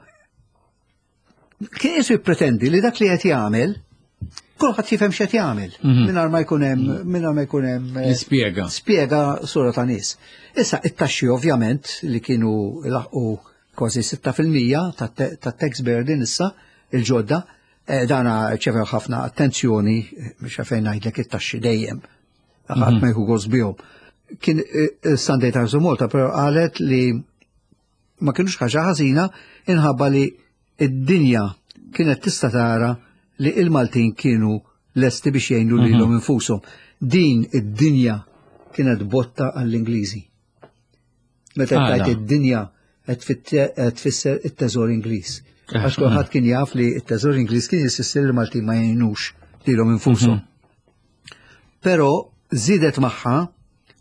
kien jisu jippretendi li dak li qed jagħmel, kulħadd jifhem x'qed jagħmel, mingħajr ma jkun hemm mingħajr ma jkun hemm eh, Nispjega. Spjega sura ta' nies. Issa, it-taxxi ovvjament li kienu laħqu kważi sitta fil-mija ta' tax burden issa il-ġodda, eh, dana rċevew ħafna attenzjoni, eh, biex fejn ngħidlek it-taxxi dejjem. Ħadd ma jieħu gost bihom. Kien eh, Sunday Times of Malta però qalet li ma kienux ħaġa ħażina inħabba li id-dinja kienet tista' tara li il-Maltin kienu lesti biex jgħinu lilhom infushom. Din id-dinja kienet botta għall-Ingliżi. Meta Għala? tajt id-dinja qed fit- qed tfisser it-teżor Ingliż. Għax kulħadd kien jaf li it-teżor Ingliż kien jississer li Maltin ma jgħinux lilhom infushom. Però żiedet magħha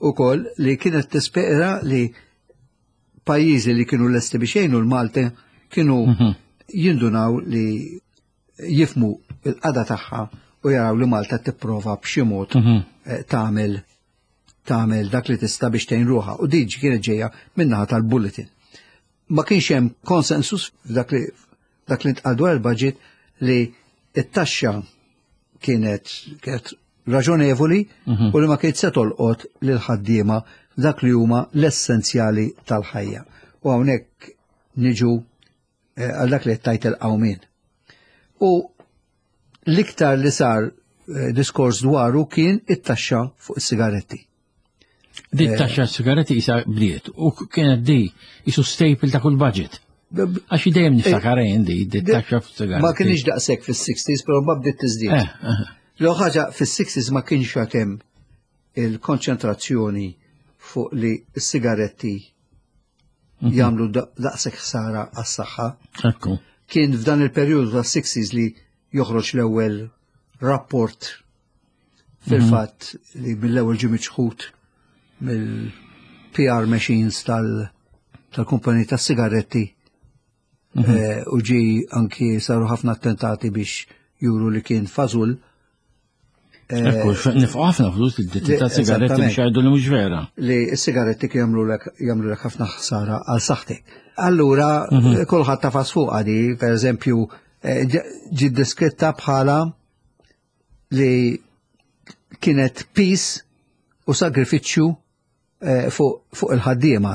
ukoll li kienet tispera li pajjiżi li kienu lesti biex jgħinu l-Malti kienu jindunaw li jifhmu il-qagħda tagħha u jaraw li Malta tipprova b'xi mod eh, tagħmel tagħmel dak li tista' biex tgħin ruħha. U din kienet ġejja min-naħa tal-Bulletin. Ma kienx hemm konsensus f'dak li dak li ntqal dwar il-budget li it-taxxa kienet kienet raġonevoli u li ma kienet se tolqot lil ħaddiema dak li huma l-essenzjali tal-ħajja. U hawnhekk niġu eh, għal dak li tajt il-qawmien. U l-iktar li sar eh, diskors dwaru kien it-taxxa fuq is-sigaretti. Di taxxa sigaretti isa bdiet u kienet di isu staple ta' kull budget. Għax dejjem niftakar jien di, di taxxa fuq sigaretti. Ma kienx daqshekk fis-sixties, però ma bdiet tiżdied. Eh, eh. L ħaġa fis-sixties ma kienx hemm il-konċentrazzjoni fuq li s-sigaretti jagħmlu daqshekk ħsara għas-saħħa. Ekku. Kien f'dan il-perjodu tas-sixties li joħroġ l-ewwel rapport, fil-fatt li mill-ewwel ġie miċħud mill-P R machines tal- tal-kumpaniji tas-sigaretti eh, u ġi anki saru ħafna attentati biex juru li kien fażul. Ekku, nefqu ħafna flus il-ditti ta' sigaretti biex jgħidu li mhux vera. Li s-sigaretti kien jagħmlu lek jagħmlu lek ħafna ħsara għal saħħtek. Allura kulħadd tafas fuq għadi, per eżempju, eh, ġi deskritta bħala li kienet piż u sagrifiċċju eh, fuq fuq il-ħaddiema.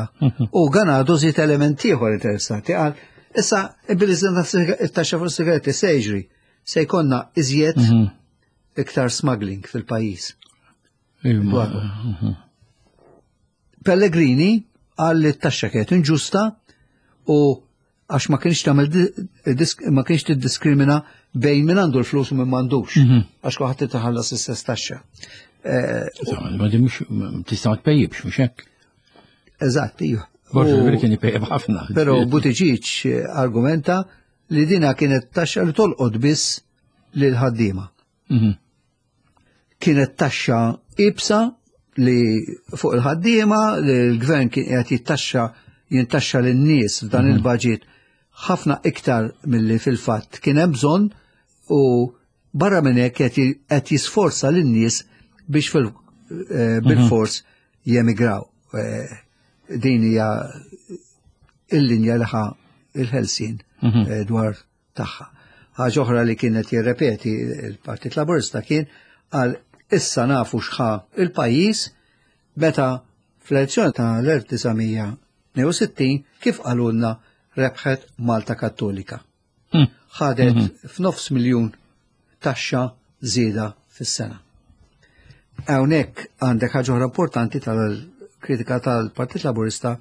U Ganado żied element ieħor interessanti, qal issa billi żidna it-taxxa fuq sigaretti se jiġri se jkollna iżjed iktar smuggling fil-pajjiż. Imma, Pellegrini qal li t-taxxa kienet inġusta u għax ma kienx tagħmel di- disk- ma kienx tiddiskrimina bejn min għandu l-flus u min m'għandux. Għax kulħadd titħallas l-istess taxxa. Eh, Insomma, ma di mhux tista' ma tpejjibx, mhux hekk. Eżatt, iva. Borg U- Olivier kien ipejjeb ħafna. Però Buttigieg eh, argumenta li dina kienet taxxa li tolqot biss lil ħaddiema. Mhm. Kienet taxxa iebsa li fuq il-ħaddiema, li l-gvern kien qiegħed jittaxxa jintaxxa lin-nies f'dan il-budget ħafna iktar milli fil-fatt kien hemm bżonn u barra minn hekk qed qed jisforza lin-nies biex fil eh, bil-fors jemigraw. Eh, Din hija il-linja li ħa il-Ħelsien eh, dwar tagħha. Ħaġa oħra li kienet jirrepeti il-Partit Laburista kien għal issa nafu x'ħa il-pajjiż meta fl-elezzjoni ta' l-elf disa' mija tnejn u sittin kif qalulna rebħet Malta Kattolika. Mm. Ħadet f'nofs miljun taxxa żieda fis-sena. Hawnhekk għandek ħaġa oħra importanti tal-kritika tal-Partit Laburista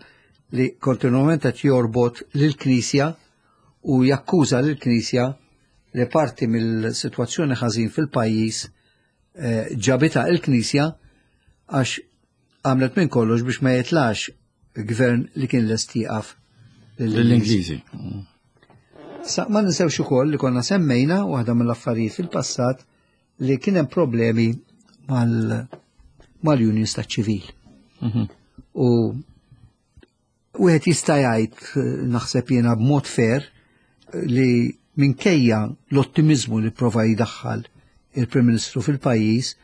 li kontinuament qed jorbot lill-Knisja u jakkuża lill-Knisja li parti mill-sitwazzjoni ħażin fil-pajjiż eh, ġabitha il-Knisja għax għamlet minn kollox biex ma jitlax gvern li kien lest jieqaf L-Ingliżi. Sa ma ninsewx ukoll li konna semmejna waħda mill-affarijiet fil-passat li kien hemm problemi mal mal-unions taċ-ċivil. Mhm. U wieħed jista' jgħid eh, naħseb jiena b'mod fair li minkejja l-ottimizmu li prova jdaħħal il-Prim Ministru fil-pajjiż,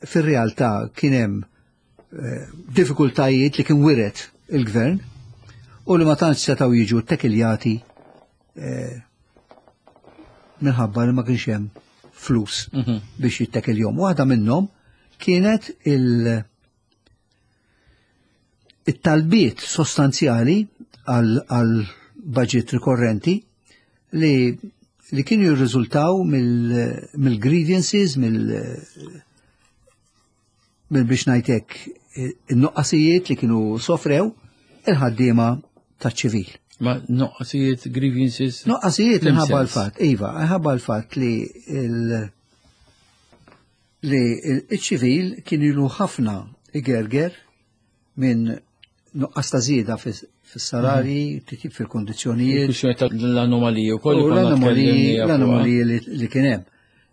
fir-realtà kien hemm eh, diffikultajiet li kien wiret il-gvern u li ma tantx setgħu jiġu ttekiljati eh, minħabba li ma kienx hemm flus Mhm. biex jittekiljhom. Waħda minnhom kienet il- it-talbiet sostanzjali għal għal budget rikorrenti li li kienu jirriżultaw mill-grievances, mill mill biex ngħidlek in-nuqqasijiet li kienu sofrew il-ħaddiema taċ-ċivil. Ma nuqqasijiet, grievances. Nuqqasijiet Lim minħabba sens? l-fatt, iva, minħabba l-fatt li il- li il-ċivil kien ilu ħafna igerger minn nuqqas ta' żieda fis-salarji, titjib fil-kondizzjonijiet, Kwistjoni tal-anomaliji u koll. u l-anomaliji l-anomaliji li, li kien hemm.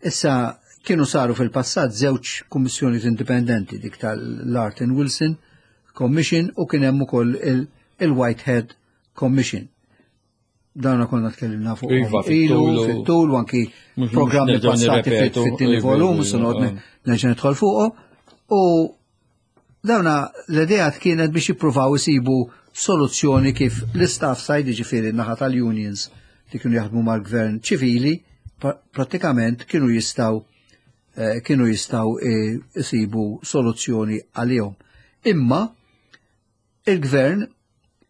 Issa kienu saru fil-passat żewġ kummissjoni indipendenti, dik tal-Lartin Wilson Commission u kien hemm ukoll il- il-Whitehead Commission. Dawna konna tkellimna fuq Iva, ilu, fit-tul u- fit-tul u anki Mhux- programmi mhux nerġgħu passati nirrepetu, fit-tieni iva, volum, iva, se noqgħod iva. nerġa' nidħol fuqhom. U dawna l-idea kienet biex jippruvaw isibu soluzzjoni kif l-istaff side, ġifieri naħa tal-unions li kienu jaħdmu mal-gvern ċivili, pra- prattikament kienu jistgħu eh, kienu jistgħu eh, isibu soluzzjoni għalihom. Imma il-gvern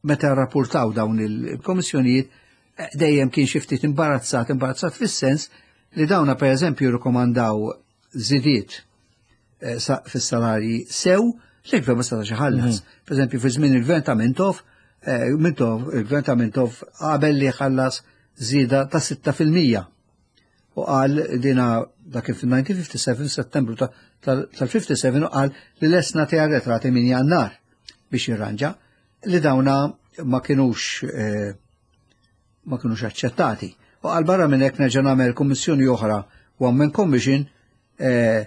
meta rapportaw dawn il-komissjonijiet eh, dejjem kien xi ftit imbarazzat, imbarazzat fis-sens li dawna per eżempju rikomandaw żidiet eh, sa- fis-salarji sew li l-gvern ma setax iħallas. Per eżempju, fi żmien il-gvern ta' Mintoff, eh, Mintoff, il-gvern ta' Mintoff qabel li ħallas żieda ta' sitta fil-mija. U qal dina dak kien fil-elf disa' mija u ħamsa u ħamsin, Settembru ta- tal- tal-ħamsa u ħamsin, u qal li lest nagħti arretrati minn Jannar biex jirranġa li dawna ma kienux eh, ma kienux aċċettati. U qal barra minn hekk nerġa' nagħmel kummissjoni oħra, One Man Commission, eh,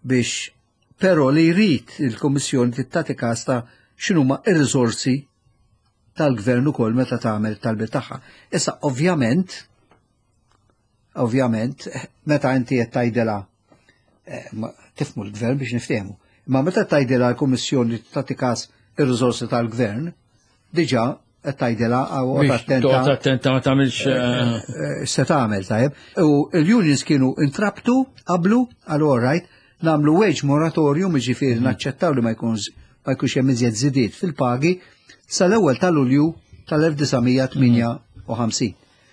biex però li jrid il-Kummissjoni tittati kas ta' x'inhuma ir-riżorsi tal-gvern ukoll meta tagħmel talbiet tagħha. Issa ovvjament ovvjament meta inti qed tgħidilha eh, ma- tifmu l-gvern biex niftehmu. Imma meta tgħidilha l-Kummissjoni tagħti kas ir-riżorsi tal-gvern, diġà qed tgħidilha għaw Biex attenta toqgħod attenta ma tagħmilx eh, eh, se tagħmel tajjeb. U l-unions kienu intrabtu qablu għal all right nagħmlu wage moratorium, jiġifieri naċċettaw li ma jkunx ma jkunx hemm iżjed żidiet fil-pagi sal-ewwel ta' Lulju tal-elf disa' mija tmienja u ħamsin.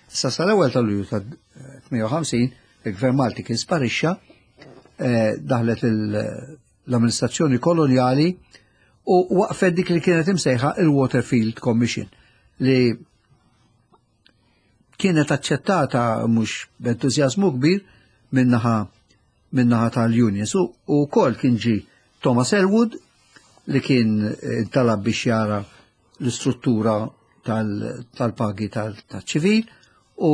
Issa sal-ewwel ta' Lulju tal-tmienja u ħamsin il-Gvern Malti kien sparixxa, eh, daħlet il- l-amministrazzjoni koloniali u waqfet dik li kienet imsejħa il-Waterfield Commission li kienet aċċettata mhux b'entużjażmu kbir minnaħa minnaħa tal-unions. U wkoll kien ġi Thomas Elwood li kien eh, talab biex jara l-istruttura tal-pagi tal-ċivil u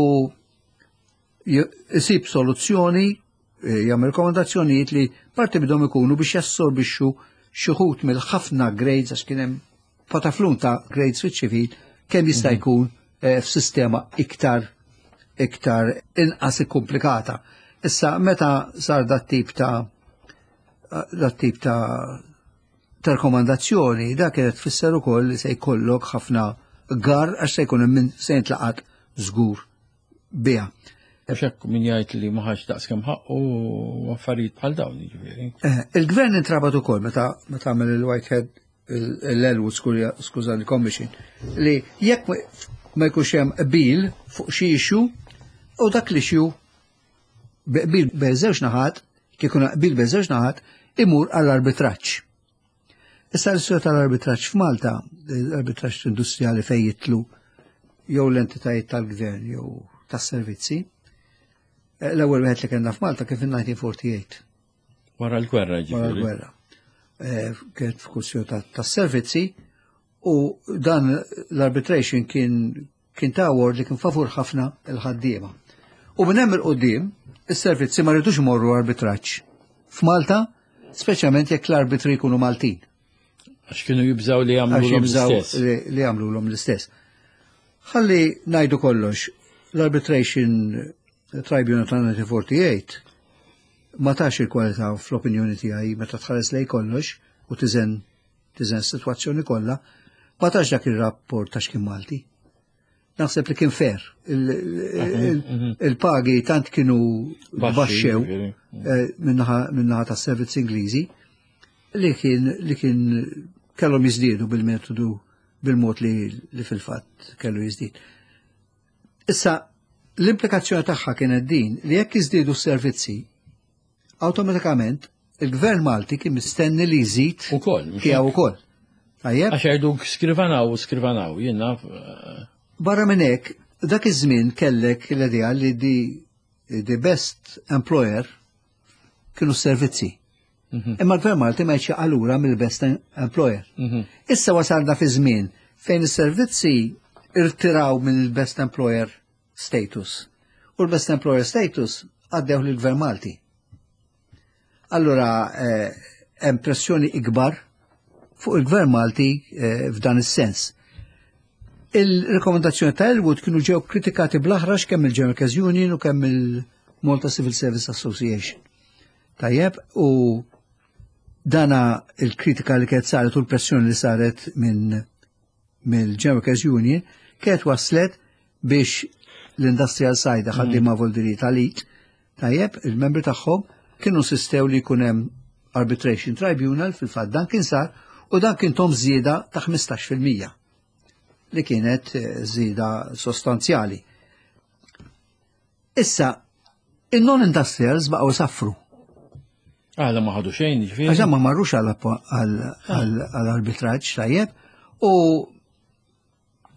jisib soluzzjoni, eh, jagħmel rekomendazzjonijiet li parti bidhom ikunu biex jassorbixxu xi wħud mill-ħafna grades, għax kien hemm pataflun ta' grades fiċ-ċivil, kemm jista' mhm. jkun eh, f'sistema iktar iktar inqas komplikata. Issa meta sar dat tip ta' dat tip ta' ta' rekomandazzjoni, dak kienet tfisser ukoll li se jkollok ħafna gar għax se jkun hemm se jintlaqat żgur biha. Għax hekk min jgħid li ma ħax daqs kemm ħaqqu u affarijiet bħal dawn, jiġifieri. Eh, il-gvern intrabat ukoll meta meta għamel il-Whitehead, l-Elwood, skużani, Commission, li jekk ma jkunx hemm qbil fuq xi issue u dak li issue qbil bejn żewġ naħat, kif ikun qbil bejn żewġ naħat, imur għall-arbitraġġ. Issa l-istorja tal-arbitraġġ f'Malta, l-arbitraġġ industrijali fejn jidħlu jew l-entitajiet tal-gvern jew tas-servizzi, eh, l-ewwel wieħed li kellna f'Malta kien fin-elf disa' mija u erbgħa u erbgħin. Wara l-gwerra, Wara ġifieri. l-gwerra. Eh, Kienet f'kwistjoni tas-servizzi u dan l-arbitration kien kien ta' award li kien favur ħafna il-ħaddiema. U minn hemm 'il quddiem is-servizzi ma rridux imorru arbitraġġ f'Malta, speċjalment jekk l-arbitri jkunu Maltin. Għax kienu jibżaw li jagħmlu Għax jibżaw l-istess. li li jagħmluhom l-istess. Ħalli ngħidu kollox, l-Arbitration Tribunal ta' elf disa' mija u erbgħa u erbgħin ma tax il-kwalità, fl-opinjoni tiegħi, meta tħares lej kollox u tiżen tiżen situazzjoni kollha, ma tax dak ir-rapport ta' x'kien Malti. Naħseb li kien fair. Il- il- Il-pagi tant kienu Baxxi, baxxew ġifieri. eh, min-naħa min-naħa tas servizz Ingliżi li kien li kien kellhom jiżdiedu bil-metodu, bil-mod li, li fil-fatt kellu jiżdied. Issa, l-implikazzjoni tagħha kienet din li jekk jiżdiedu s-servizzi, awtomatikament il-Gvern Malti kien mistenni li jżid Ukoll, mhux tiegħu ukoll. Tajjeb? Għax jgħidu skrivanaw, skrivanaw, jien naf. eh, Barra minn hekk, dak iż-żmien kellek l-idea li di the best employer kienu s-servizzi. Imma l-Gvern Malti ma jċi allura mill-best employer. mhm. Issa wasalna fi żmien fejn is-servizzi irtiraw minn il-best employer status. U l-best employer status għaddew lill-Gvern Malti. Allura eh, hemm pressjoni ikbar fuq il-Gvern Malti eh, f'dan is-sens. Il-rekomendazzjoni ta' Elwood kienu ġew kritikati bl-aħrax kemm il-General Workers Union u kemm il-Malta Civil Service Association. Tajjeb, u dana il-kritika li kienet saret u l-pressjoni li saret minn mill-General Workers Union kienet waslet biex l-Industrial Side, ħaddiema voldiri tal-I T, tajjeb, il-membri tagħhom kienu insistew li jkun hemm arbitration tribunal. Fil-fatt dan kien sar u dan kien tahom żieda ta' ħmistax fil-mija li kienet eh, żieda sostanzjali. Issa, il-non-industrials baqgħu saffru. Għala ma ħadu xejn, ġifieri. Għax ma marrux għall-arbitraġġ, tajjeb, u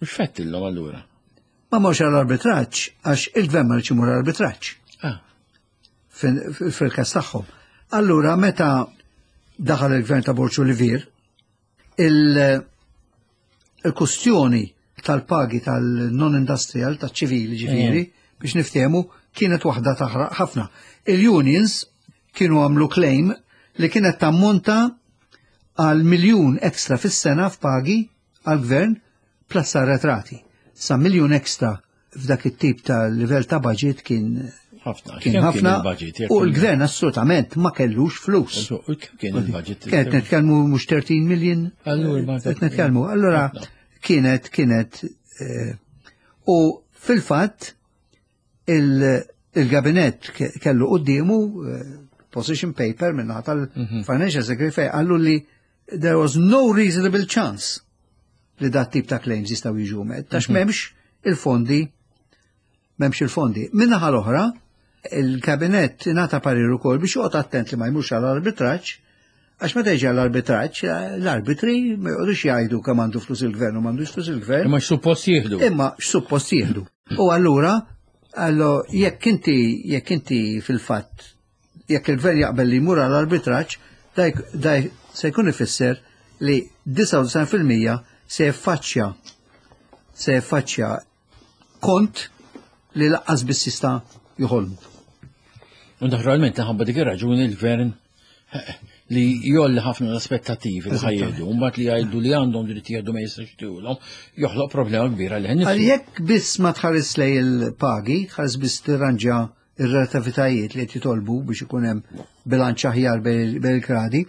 Mhux fettillhom allura. Ma marrux għall-arbitraġġ għax il-gvern ma rridx imur arbitraġġ Ah, fil-kas tagħhom. Allura meta daħal il-gvern ta' Borg Olivier, il-kustjoni tal-pagi tal-non-industrial, tal-ċivili ġifieri, biex niftehmu, kienet waħda taħraq ħafna. Il-unions kienu għamlu claim li kienet tammonta għal miljun ekstra fis-sena f'pagi għal-gvern plus arretrati. Sa miljun ekstra f'dak it-tip ta' livell ta' budget kien ħafna. Kien Kemm ħafna il-budget? Jekk u l-gvern assolutament ma kellux flus. U kemm kien il-budget? Kienet nitkellmu mhux tletin million. Allura, ma- Qed nitkellmu. Allura Ħafna. kienet kienet eh, u fil-fatt il- il-gabinett ke- kellu quddiemu eh, position paper minn tal-Financial Secretary fejn qallu li there was no reasonable chance li dat tip ta' claims jistgħu jiġu met, għax m'hemmx il-fondi m'hemmx il-fondi. Min-naħa l-oħra, il-kabinett ingħata parir ukoll biex joqgħod attent li ma jmurx għall-arbitraġġ, għax meta jiġi għall-arbitraġġ, l-arbitri ma joqgħodux jgħidu kemm għandu flus il-gvern u m'għandux flus il-gvern. Imma x'suppost jieħdu. Imma x'suppost jieħdu. U allura, allo jekk inti jekk inti fil-fatt jekk il-gvern jaqbel li jmur għall-arbitraġġ, daj se jkun ifisser li disgħa u disgħin fil-mija se jaffaċċja se jaffaċċja kont li lanqas biss jista' joħolmu. U naturalment ħabba dik ir-raġuni l-gvern eh, li jgħolli ħafna l-aspettativi li ħa jieħdu, mbagħad li jgħidu li għandhom dritt jieħdu ma jistax jtulhom, joħloq problema kbira li Għal jekk biss ma tħares lej il-pagi, tħares biss tirranġa ir-relativitajiet li qed jitolbu biex ikun hemm bilanċ aħjar bejn il-gradi,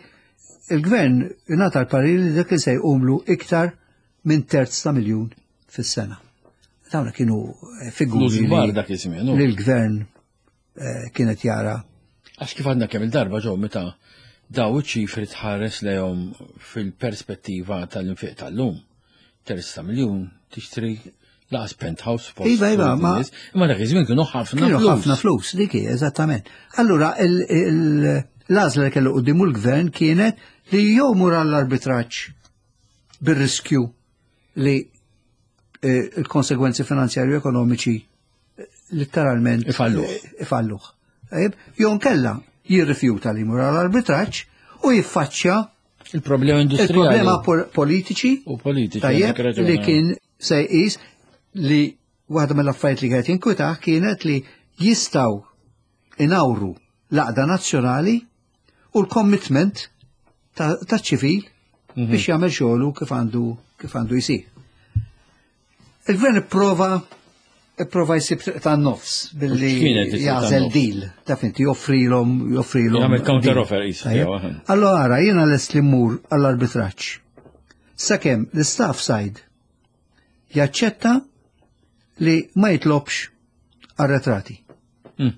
il-gvern ingħata l-parir li dak li se jqumlu iktar minn terz ta' miljun fis-sena. Dawna kienu eh, figuri Flus kbar li dak iż-żmien. li l-gvern eh, kienet jara. Għax kif għandna kemm il-darba ġew meta daw iċ-ċifri tħares lejhom fil-perspettiva tal-infiq tal-lum. Terz ta' miljun tixtri lanqas penthouse post. Iva, iva, ma- Imma dak iż-żmien kienu ħafna Kienu flus. ħafna flus, dik hi, eżattament. Allura, il- il- L-għażla li kellu quddiemu l-gvern kienet li jew mur għall-arbitraġġ bir-riskju li eh, il-konsegwenzi finanzjarju ekonomiċi eh, letteralment Ifalluh. eh, Ifalluh. Tajjeb, jew nkella jirrifjuta li jmur għall-arbitraġġ u jiffaċċja Il-problema industrijali. il-problema pol- politiċi U politiċi. Tajjeb, għandek raġun, li eh. kien se jqis li waħda mill-affarijiet li kienet jinkwitah kienet li jistgħu inawru l-għaqda nazzjonali u l-commitment ta' ta' ċivil Mhm. biex jagħmel xogħlu kif għandu kif għandu jsir. Il-gvern ipprova ipprova jsib triq tan-nofs billi X'kienet it-triq jagħżel tan-nofs? deal, taf inti joffrilhom joffrilhom. Jagħmel counter deal. offer qisu, Tajjeb. jew, aha. Allora ara, jiena lest li mmur għall-arbitraġġ. Sakemm l-staff side jaċċetta li ma jitlobx arretrati. Mm.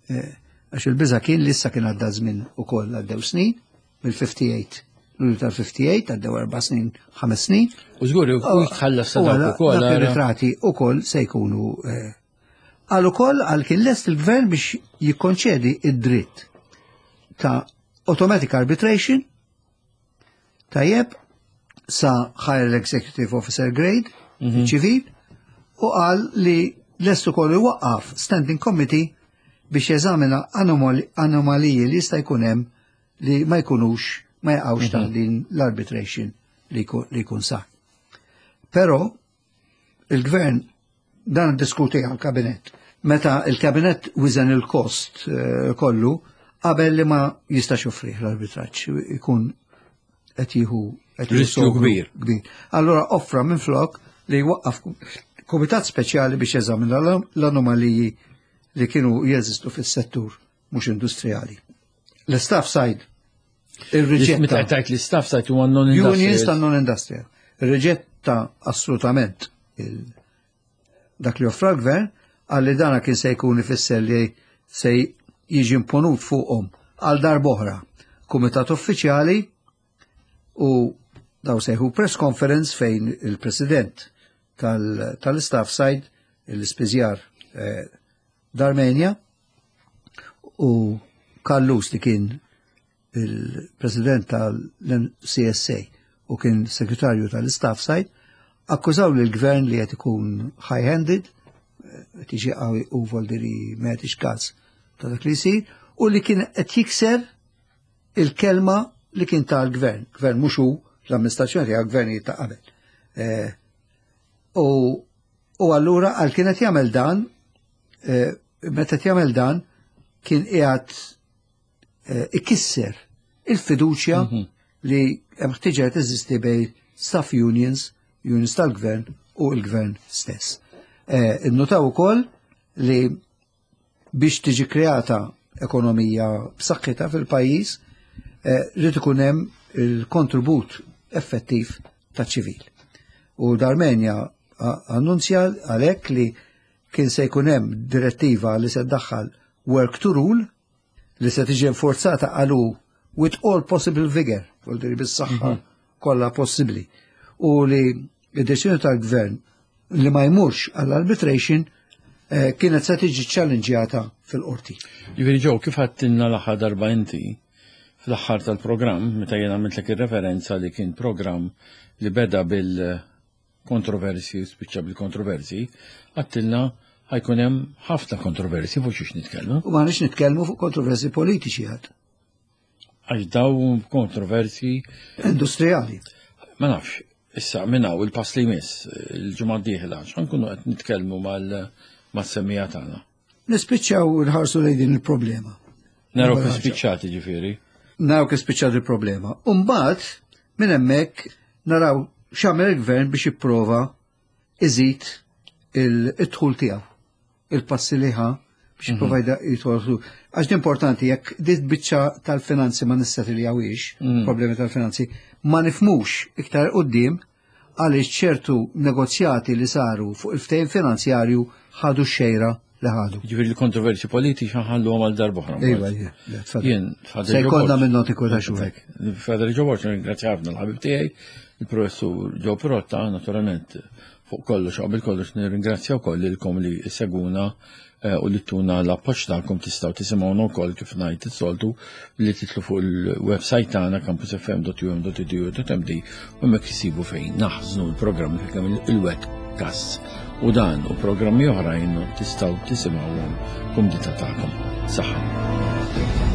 Eh, Għax il-biża kien li issa kien għadda żmien ukoll għaddew snin, mill-ħamsa u ħamsin, Lulju tal-ħamsa u ħamsin, għaddew erba' snin, ħames snin. U żgur, u jitħallas sa U dawk għala ukoll. dak ara. ir-ritrati ukoll se jkunu eh, għal ukoll għal kien lest il-gvern biex jikkonċedi id-dritt ta' automatic arbitration tajjeb sa higher executive officer grade Mhm. ċivil u qal li lest ukoll iwaqqaf standing committee biex jeżamina anomali- anomaliji li jista' jkun hemm li ma jkunux ma jaqgħux taħt din l-arbitration li jkun- li jkun sar. Però il-gvern dan diskuti għal-kabinett. Meta il-kabinett wiżen il-kost eh, kollu, qabel li ma jistax joffrih l-arbitraġġ, ikun qed jieħu qed jieħu Riskju sogru kbir. kbir. Allora offra minn flok li jwaqqaf kumitat speċjali biex jeżamina l- l-anomaliji li kienu jeżistu fis-settur mhux industrijali. L-staff side Meta irriġetta tajt li staff side huwa non-industrial. unions ta' non-industrial. Irriġetta assolutament il- dak li offra l-gvern għalli dana kien se jkun ifisser li se jiġi imponut fuqhom għal darb'oħra kumitat uffiċjali u daw sejħu press conference fejn il-president tal- tal-staff side l-ispiżjar eh, Darmenia u Callus li kien il-president tal-M C S A u kien segretarju tal-staff side akkużaw li l-gvern li qed ikun high-handed, qed jiġi qawwi u voldiri ma jagħtix każ ta' dak li jsir, u li kien qed jikser il-kelma li kien tal-gvern. Gvern mhux hu l-amministrazzjoni tiegħu, gvern ta' qabel. Eh, U u allura għal kien qed jagħmel dan, eh, meta qed jagħmel dan kien qiegħed eh, ikisser il-fiduċja li hemm ħtiġa teżisti bejn staff unions, unions tal-gvern u l-gvern stess. Eh, Innutaw ukoll li biex tiġi kreata ekonomija b'saħħitha fil-pajjiż, eh, rrid ikun hemm il-kontribut effettiv ta' ċivil. U Darmenia a- annunzja għalhekk li kien se jkun hemm direttiva li se ddaħħal work to rule li se tiġi enforzata għalu with all possible vigor, vuol dire bis-saħħa kollha possibbli. U li id-deċiżjoni tal-gvern li ma jmurx għall-arbitration eh, kienet se tiġi challengejata fil-qorti. Ġifieri ġew kif għedtilna l-aħħar darba inti fl-aħħar tal-programm, meta jien għamiltlek ir-referenza li kien programm li beda bil-kontroversi u spiċċa bil-kontroversi, għedtilna ħa jkun hemm ħafna kontroversi fuq xiex nitkellmu. U ma nix nitkellmu fuq kontroversi politiċi għad, Għax daw kontroversi industrijali. Ma nafx, issa minn hawn il-pass li jmiss il-ġimgħa d-dieħla, x'ħankunu qed nitkellmu mal-semmija tagħna? Nispiċċaw nħarsu lejn din il-problema. Naraw kif spiċċati ġifieri. Naraw kif spiċċat il-problema. Umbagħad, minn hemmhekk naraw x'għamel il-gvern biex jipprova iżid il-dħul tiegħu, il-passi li ħa biex jipprova jidħol. Għax importanti jekk dit biċċa tal-finanzi ma nissettiljawhiex, problemi tal-finanzi, ma nifhmux iktar quddiem għaliex ċertu negozjati li saru fuq il-ftehim finanzjarju ħadu xejra li ħadu. Ġifieri l-kontroversi politiċi ħallu għal darb'oħra. Iva, iva, tfadal. Jien, Father Se jkollna Joe minn notiku ta' xurek. Father Joe Borg, ringrazzja ħafna l-ħabib tiegħi, il-professur Joe Pirotta, naturalment, Fuq kollox, qabel kollox nirringrazzja wkoll lilkom li seguna eh, u li tuna l-appoġġ tagħkom. Tistgħu tisimgħuna wkoll, kif ngħid is-soltu, li titlu fuq il-website tagħna campus F M dot U M dot edu dot M D u hemmhekk isibu fejn naħżnu l-programmi kemm il-webcast u dan u programmi oħrajn tistgħu tisimgħuhom kumdità tagħkom. Saħħa.